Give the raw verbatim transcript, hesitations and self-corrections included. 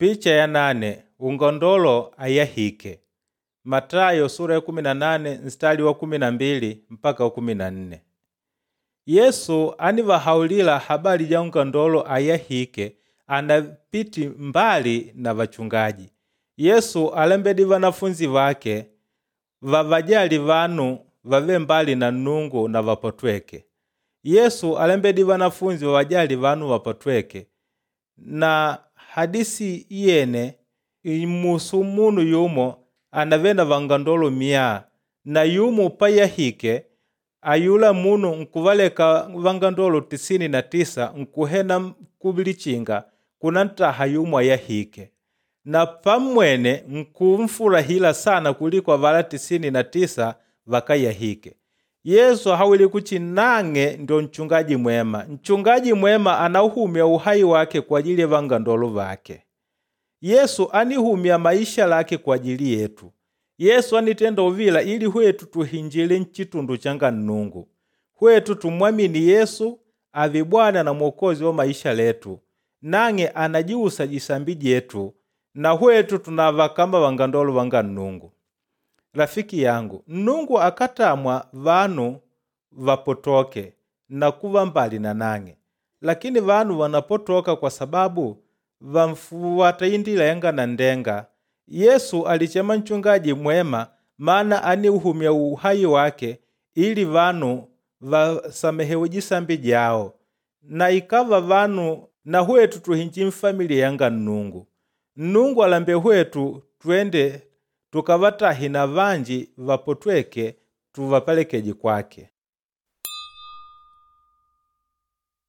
Picha ya nane ungandolo ayahike Matayo sura ya kumi na nane mstari wa kumi na mbili mpaka wa kumi na nne. Yesu anivahaulila habari ja ungandolo ayahike anapiti mbali na vachungaji. Yesu alembedi vanafunzi vake vavajali vanu vave mbali na Nnungu na vapotweke. Yesu alembedi vanafunzi vavajali vanu vapotweke na hadisi yene imusu munu yumo anave na vangandolo miya na yumo payahike ayula munu nkuvaleka vangandolo tisini na tisa nkuhena kulichinga kuna ntaha yumo ayahike na pamwene nkumfurahila sana kuliko avala tisini na tisa vakayahike. Yesu hawile kuchi nang'e ndio nchungaji mwema. Nchungaji mwema anauhumya uhai wake kwa ajili ya vangandolo vake. Yesu anihumya maisha lake kwa ajili yetu. Yesu anitenda uvila ili hwetu tuhinjile nchitundu changa Nnungu. Hwetu tumwamini Yesu ave Bwana na Mwokozi wa maisha letu. Nang'e anajiusa jisambi jetu na hwetu tunava kama vangandolo vanga Nnungu. Rafiki yangu, Nnungu akatamwa vanu vapotoke na kuva mbali na nang'e. Lakini vanu wanapotoka kwa sababu vamfuata indila yanga na ndenga. Yesu alichema nchungaji mwema maana aniuhumya uhai wake ili vanu vasamehewe jisambi jao. Na ikava vanu na hwetu tuhinji mfamilia yanga Nnungu. Nnungu alambe hwetu twende tukavatahi na vanji vapotweke tuvapelekeje kwake.